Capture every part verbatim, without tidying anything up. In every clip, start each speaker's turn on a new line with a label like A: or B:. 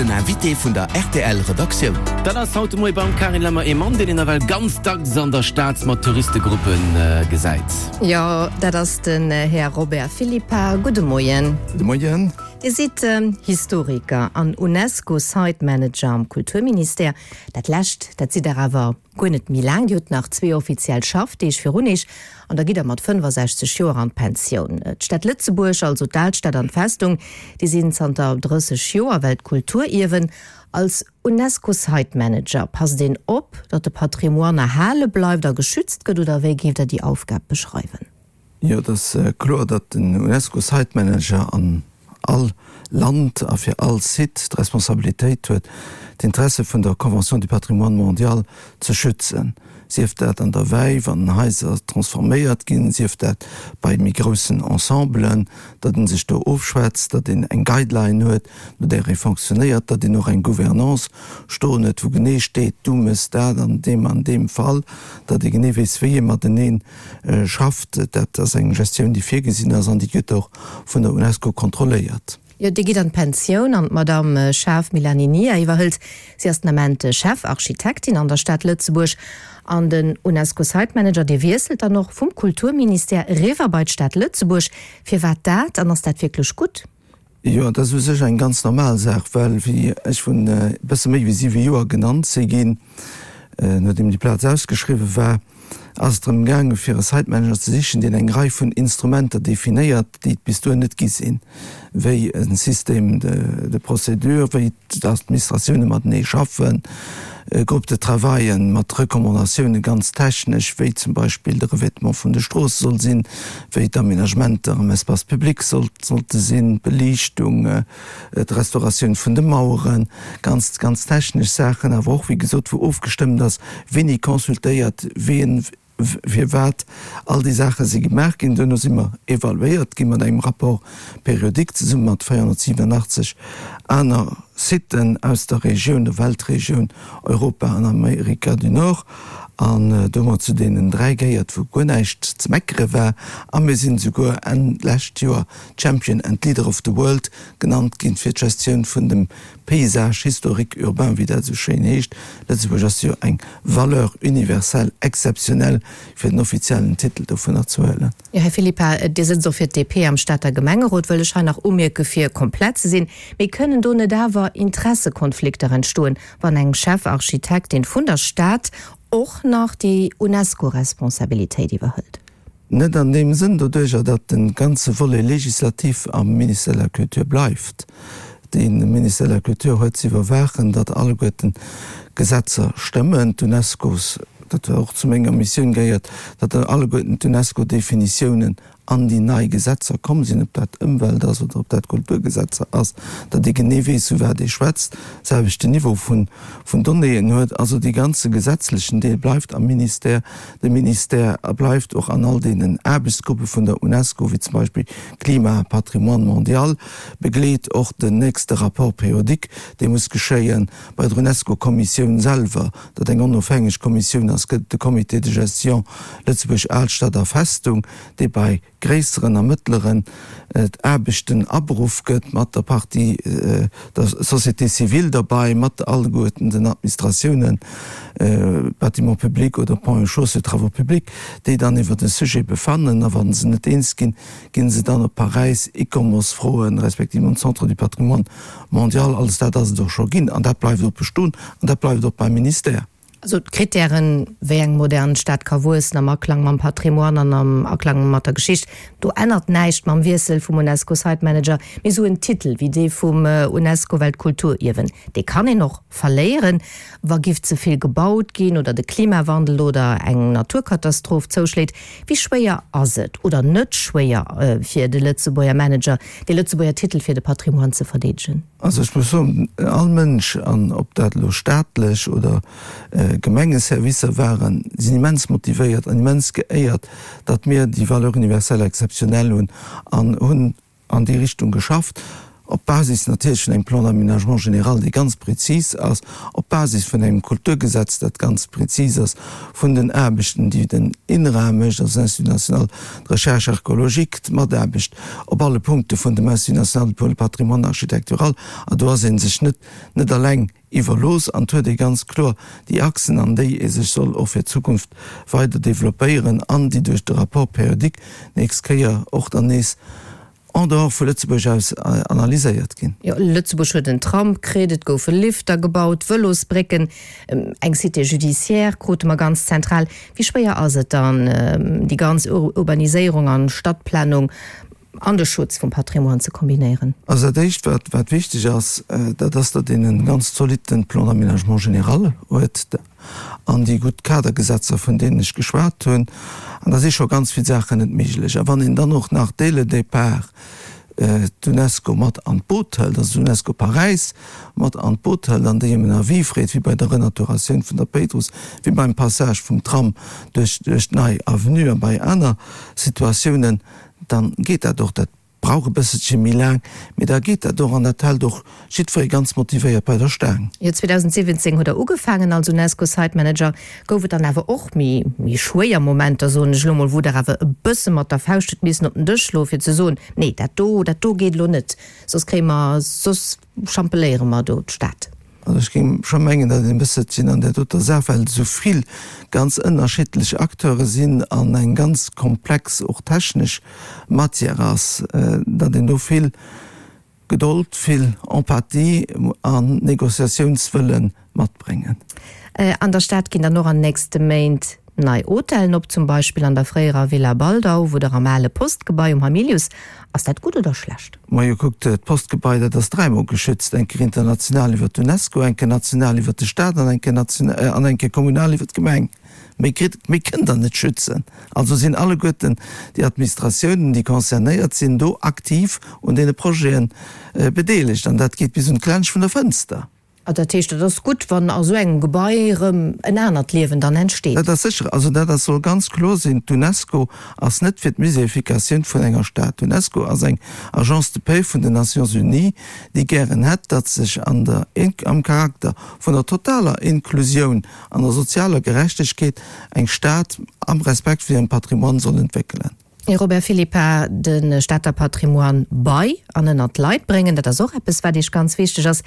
A: Den Invité vun der R T L Redaktioun.
B: Dat ass haut de Moie beim Karin Lemmer ee Mann, deen een nawell ganz dacks an der Stad mat Touristegruppe gesäit.
C: Jo, dat ass den Här Robert Philippart. Gudde Moien.
D: Gudde Moien.
C: Dir sidd Historiker an UNESCO Site Manager am Kulturministère. Dat lescht, dat sidd Der awer guer net méi laang. Dir hutt nach zwee offiziell Schaffdeeg virun Iech an da gitt Der mat fënnefasechzeg Joer an d'Pensioun. D'Stad Lëtzebuerg, also d'Alstad an d'Festung, déi sinn zanter drësseg Joer Weltkulturierwen. Als UNESCO Site Manager passt een op, datt de Patrimoine erhale bleift a geschützt gëtt, oder wéi géift Der déi Aufgab beschreiwen?
D: Jo, et ass kloer, datt den UNESCO Site Manager an all Land a fir all Site d'Responsabilitéit huet, d'Interesse vun der Convention du patrimoine mondial ze schützen, sief dat an der Wei, wann Haiser transforméiert ginn, sief dat bei méi groussen Ensemblen, datt ee sech do ofschwätzt, datt een eng Guideline huet, no där ee fonctionnéiert, datt een och eng Gouvernance stoen huet, wou genee steet, du méchs dat an deem an deem Fall, datt ee genee weess, wéi ee matenee schafft. Dat ass eng Gestioun, déi virgesinn ass an déi gëtt och vun der UNESCO kontrolléiert.
C: Jo, Dir gitt an d'Pensioun an d'Madamm Schaaf Milaninia iwwerhëlt. Si ass den Ament Chefarchitektin an der Stad Lëtzebuerg. An den UNESCO Site Manager, dee wiesselt dann och vum Kulturministère eriwwer bei d'Stad Lëtzebuerg. Firwat dat an ass dat wierklech gutt?
D: Jo, dat ass u sech eng ganz normal Saach, well wéi ech vrun e bësse méi wéi siwe Joer genannt si ginn, nodeem déi Plaz ausgeschriwwe war, ass et drëm gaange fir e Site Manager ze sichen, deen eng Rei vun Instrumenter definéiert, déi et bis dohin net gi sinn, wéi e Système de procédure, wéi d'Administratioune matenee schaffen, Groupes de travailen mat Recommandatioune ganz technesch, wéi zum Beispill de Revêtement vun de Stroosse soll sinn, wéi d'Aménagementer am Espace public sollte sinn, d'Beliichtung, d'Restauratioun vun de Maueren, ganz, ganz technesch Saachen, awer och, wéi gesot, wou ofgestëmmt ass, wien ee consultéiert, wien firwat. All déi Saache si gemaach ginn. Duerno si mer evaluéiert gi mat engem Rapport périodique zesumme mat véierhonnertsiwenunachtzeg aner Siten aus der Regioun, der Weltregioun Europa an Amerika du Nord. An do hu mer zu deenen dräi gehéiert, wou guer näischt ze meckere war. A mir sinn esouguer Enn d'lescht Joer Champion and Leader of the World genannt ginn fir d'Gestioun vun dem Paysage historique urbain, wéi dat esou schéin heescht. Lëtzebuerg ass jo eng Valeur universelle exceptionnelle, fir den offiziellen Titel dovunner ze huelen.
C: Jo, Här Philippart, Dir sëtzt och fir d'D P am Stater Gemengerot, wëll ech hei nach umierke fir komplett ze sinn. Mee kënnen do net awer Interessekonflikter entstoen, wann eng Chefarchitektin vun der Stad och nach déi UNESCO-Responsabilitéit iwwerhëlt?
D: Net an deem Sënn, doduerjer datt de ganze Volet législatif am Ministère de la Culture bleift. De Ministère de la Culture huet ze iwwerwaachen, datt alleguerten d'Gesetzer stëmmen, d'UNESCO's, dat och zu menger Missioun gehéiert, datt alleguerten d'UNESCO-Definitiounen an déi nei Gesetzer komm sinn, ob dat Ëmwelt ass oder ob dat Kulturgesetzer ass, datt ee genee weess, vu wat ee schwätzt, selwechten Niveau vun Donnéeën huet. Also dee ganze gesetzlechen Deel bleift am Ministère. De Ministère bleift och an all deenen Aarbechtsgruppe vun der UNESCO, wéi zum Beispill Klima, Patrimoine mondial, begleet och den nächste Rapport périodique, dee muss geschéien bei der UNESCO-Kommissioun selwer, dat eng onofhängeg Kommissioun ass, gëtt et de Comité de gestion Lëtzebuerg Alstad a Festung, dee bei gréisseren a mëttleren Aarbechten aberuff gëtt, mat der Partie der Société civile derbei, mat alleguerten den Administratiounen, Bâtiments publics oder Ponts et Chaussées, Travaux publics, déi dann iwwer de Sujet befannen. A wa se net eens ginn, gi se dann op Paräis ICOMOS froen, respektiv un d'Centre du patrimoine mondial. Alles dat ass et och scho ginn an dat bleift och bestoen an dat bleift och beim Ministère.
C: Also d'Krittären, wéi eng modern Stad ka wuessen am Aklang mam Patrimoine an am Aklang mat der Geschicht, do ännert näischt mam Wiessel vum UNESCO Site Manager. Mee esou en Titel wéi dee vum UNESCO Weltkulturierwen, dee kann een och verléieren, wa giff ze vill gebaut ginn oder de Klimawandel oder eng Naturkatastroph zouschléit. Wéi schwéier ass et, oder net schwéier, fir de Lëtzebuerger Manager, dee Lëtzebuerger Titel fir de Patrimoine ze verdeedegen?
D: Also ech muss soen, all Mënsch, an ob dat elo staatlech oder Gemengeservicer waren, sinn immens motivéiert an immens geéiert, datt mir déi Valeur universelle exceptionnelle hunn an hunn an déi Richtung geschafft. op Basis natierlech vun engem Plan d'aménagement général, dee ganz prezis ass, op Basis vun engem Kulturgesetz, dat ganz prezis ass, vun den Aarbechten, déi den INRA mécht, also den Institut national de recherche archéologique, d'Mataarbecht op alle Punkte vun dem Institut national pour le patrimoine architectural. An do ass ee sech net net eleng iwwerlooss an et huet ee ganz kloer déi Achsen, an déi ee sech soll och fir d'Zukunft weider developpéieren an déi duerch de Rapport périodique d'nächst Kéier och dann nees en dehors vu Lëtzebuerg aus analyséiert ginn.
C: Jo, Lëtzebuerg huet en Tram kritt, et goufe Lifter gebaut, Vëlosbrécken, eng Cité judiciaire krute mer ganz zentral. Wéi schwéier ass et dann, déi ganz Urbaniséierung an Stadtplanung an de Schutz vum Patrimoine ze kombinéieren?
D: Also dat Éischt, wat, wat wichteg ass, dat ass, datt een e ganz zolitten Plan d'aménagement général huet an déi gutt Kadergesetzer, vun deenen ech geschwat hunn. An da si scho ganz vill Saachen net méiglech. A wann een dann och nach dès le départ d'UNESCO mat an d'Boot hëlt, also d'UNESCO Paräis mat an d'Boot hëlt an déi ëm en Avis freet, wéi bei der Renaturatioun vun der Péitruss, wéi beim Passage vum Tram duerch d'Nei Avenue a bei aner Situatiounen, dann geet dat och. Dat brauch e bësselche méi laang, mee da geet dat och an dat hält och jiddweree ganz motivéiert bei der Staang.
C: Jo, zweedausendsiwwenzéng hutt Der ugefaangen als UNESCO Site Manager. Gouf et dann awer och méi, méi schwéier Momenter, soen ech elo mol, wou Der awer e bësse mat der Fauscht hutt missen op den Dësch schloen, fir ze soen, Nee, dat do, dat do geet elo net, soss kréie mer, soss champeléiere mer do d'Stad?
D: Also ech géing scho mengen, datt een e bësselchen an där doter Saach, well et esou vill ganz ënnerschiddlech Acteure sinn an eng ganz komplex, och technesch Matière ass, datt een do vill Gedold, vill Empathie an Négociatiounswëlle matbréngen.
C: An der Stad ginn dann och an nächste Méint nei Hotellen op, zum Beispill an der fréierer Villa Baldau oder am ale Postgebai um Hamilius. Ass dat gutt oder schlecht?
D: Majo, kuckt, d'Postgebai, dat ass dräimol geschützt, eng Kéier international iwwer d'UNESCO, eng Kéier national iwwer de Staat an eng Kéier an eng Kéier kommunal iwwer d'Gemeng. Méi kritt, méi kënnt Der net schützen. Also sinn alleguerten déi Administratiounen, déi concernéiert sinn, do aktiv un deene Projete bedeelegt. An dat geet bis un d'Klensch vun der Fënster.
C: Ah, dat heescht, et ass gutt, wann a sou engem Gebai erëm en anert Liewen dann entsteet.
D: Dat ass sécher. Also dat ass, soll ganz kloer sinn, D'UNESCO ass net fir d'Muséifikatioun vun enger Stad. D'UNESCO ass eng Agence de paix vun den Nations Unies, déi gären hätt, datt sech an der, am Charakter vun der totaler Inklusioun an der sozialer Gerechtegkeet eng Stad am Respekt vun hirem Patrimoine soll entwéckelen.
C: Här Robert Philippart, de Stater Patrimoine bei an ënnert d'Leit bréngen, dat ass och eppes, wat Iech ganz wichteg ass.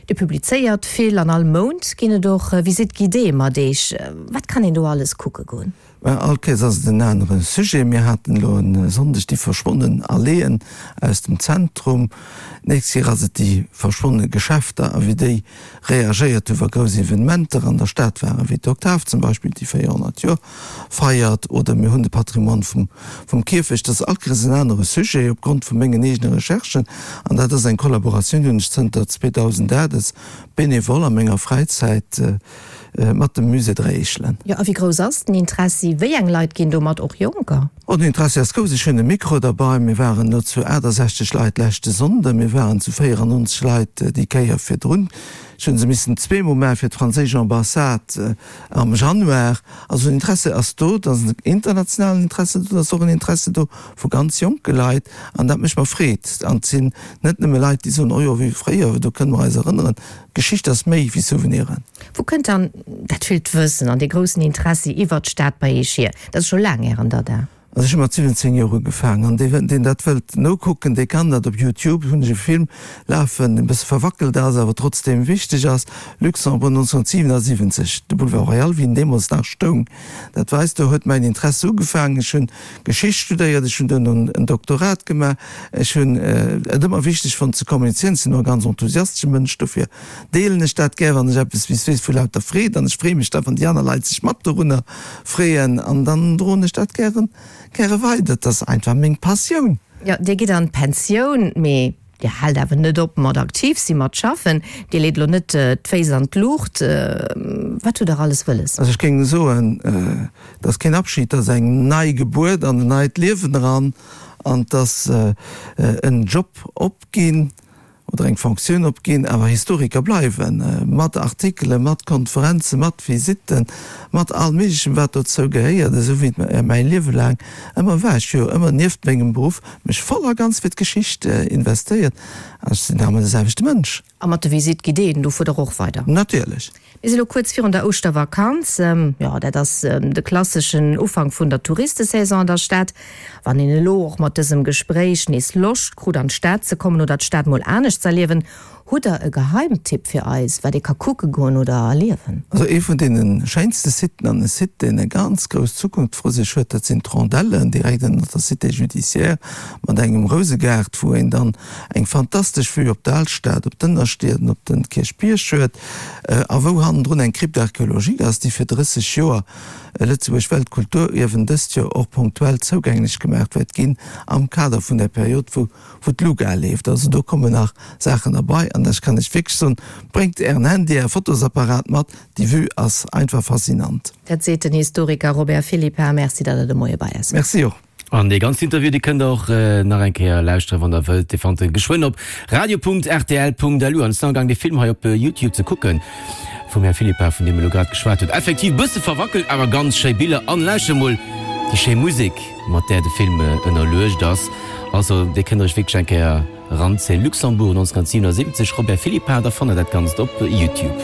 C: Dir publizéiert vill an all Mount ginn et och Visites guidées mat Iech. Wat kann een do alles kucke goen?
D: Mä all Kéiers ass et en anere Sujet. Mir haten elo e Sonndeg déi verschwonnen Alleeën aus dem Zentrum. D'nächst Kéier ass et déi verschwonne Geschäfter a wéi déi reagéiert hu wa grouss Evenementer an der Stad waren, wéi d'Oktav zum Beispill, déi véierhonnert Joer feiert, oder mir hunn de Patrimoine vum vum Kierfecht. Dat ass all Kéiers en anere Sujet opgrond vu mengen eegene Recherchen. An dat ass eng Kollaboratioun, déi hunn ech zënter zweedausendacht als Bénévole a menger Fräizäit mat dem Musée Dräi Eechelen.
C: Jo, a wéi grouss ass den Interessi? Wéi eng Leit ginn do mat, och Jonker?
D: Oh, den Interessi ass grouss. Ech hunn e Mikro derbei. Mir waren elo zu aachtasechzeg Leit leschte Sonnde. Mir waren zu véierannonzeg Leit déi Kéier virdrun. Ech hunn se missen zweemol maachen fir d'franséisch Ambassade am Januar. Also den Interesse ass do. Et ass en internationalen Interesse do. Et ass och en Interesse do vu ganz jonke Leit. An dat mécht mer Freed. An et sinn net nëmme Leit, déi soen, Oh jo, wéi fréier, do kënne mer eis erënneren. Geschicht ass méi wéi Souveniren.
C: Wou kënnt dann dat villt Wëssen an dee groussen Interessi iwwert d'Stad bei Iech hier? Dat ass scho laang Ären Dada.
D: Also ech hu mat siwwenzéng Joer ugefaangen an dee deen dat wëllt nokucken, dee kann dat op Youtube, hunn ech e Film lafen, deen e bësse verwackelt ass, awer trotzdeem wichteg ass, Luxembourg neunzehnhundertsiewenundsiwwenzeg, de Boulevard Royal, wéi en deemools nach stoung. Dat weist, do huet mäin Interesse ugefaangen. Ech hunn Geschicht studéiert, ech hunn duerno en Doktorat gemaach, ech hunn et ëmmer wichteg fonnt ze kommunizéieren, ech sinn och e ganz enthusiastesche Mënsch, dofir deelen ech dat gär, wann ech eppes weess vu lauter Freed an ech freeë mech da, wann déi aner Leit sech mat dorunner freeën an dann droen ech dat gären, gäre weider. Et ass einfach meng Passioun.
C: Jo, Dir gitt an d'Pensioun, mee Dir haalt awer net op mat aktiv sinn, mat schaffen. Dir leet elo net d'Féiss an d'Luucht. Wat hutt Der alles wëlles?
D: Also ech géing soen, et ass keen Abschid, et ass eng nei Gebuert an en neit Liewen eran an et ass en Job opginn. oder eng Fonctioun opginn, awer Historiker bleiwen, mat Artikelen, mat Konferenzen, mat Visitten, mat allem Méiglechen, wat dozou gehéiert, esou wéi et mäi Liewe laang ëmmer war. Ech hu jo ëmmer nieft mengem Beruff mech voll a ganz fir d'Geschicht investéiert an ech sinn nach ëmmer de selwechte Mënsch.
C: A mat de Visite guidéeën, do fuert Der och weider?
D: Natierlech.
C: Mir si lo kuerz virun der Ouschtervakanz. Jo, dat ass de klasseschen Ufank vun der Touristesaison an der Stad. Wann een elo och mat dësem Gespréich nees Loscht krut an d'Stad ze kommen oder d'Stad mol anescht z'erliewen, hutt Der e Geheimtipp fir eis, wat ee ka kucke goen oder erliewen?
D: Also ee vun deene schéinste Siten an e Site, deen e ganz grouss Zukunft vru sech huet, dat sinn d'Rondellen direkt ënnert der Cité judiciaire mat engem Rousegaart, wou een dann eng fantastesch Vue op d'Alstad, op d'Ënnerstied an op de Kierchbierg huet a wou hannendrun eng Crypte archéologique ass, déi fir drësseg Joer Lëtzebuerg Weltkulturierwen dëst Joer och ponktuell zougänglech gemaach wäert ginn am Kader vun där Period, wou wou d'Luga leeft. Also do kommen nach Saachen erbei an ech kann lech wierklech soen, bréngt Ären Handy, Är Fotosapparat mat, déi Vue ass einfach faszinant.
C: Dat seet den Historiker Robert Philippart. Merci, datt Der de Moie bei eis waart.
D: Merci och.
B: An dee ganzen Interview, dee kënnt der och nach eng Kéier lauschteren, wann der wëllt. Dee fannt der geschwënn op radio.rtl.lu. An ech sinn amgaang, dee Film hei op Youtube ze kucken vum Här Philippart, vun deem elo grad geschwat huet. Effektiv bësse verwackelt, awer ganz schéi Biller. An lauschtert emol déi schéi Musek, mat där de Film ënnerluecht ass. Also dee kënnt der iech wierklech eng Kéier eranzéien. Luxembourg neunzehnhundertsiebenundsiebzig, Robert Philippart, da fannt der dat Ganzt op Youtube.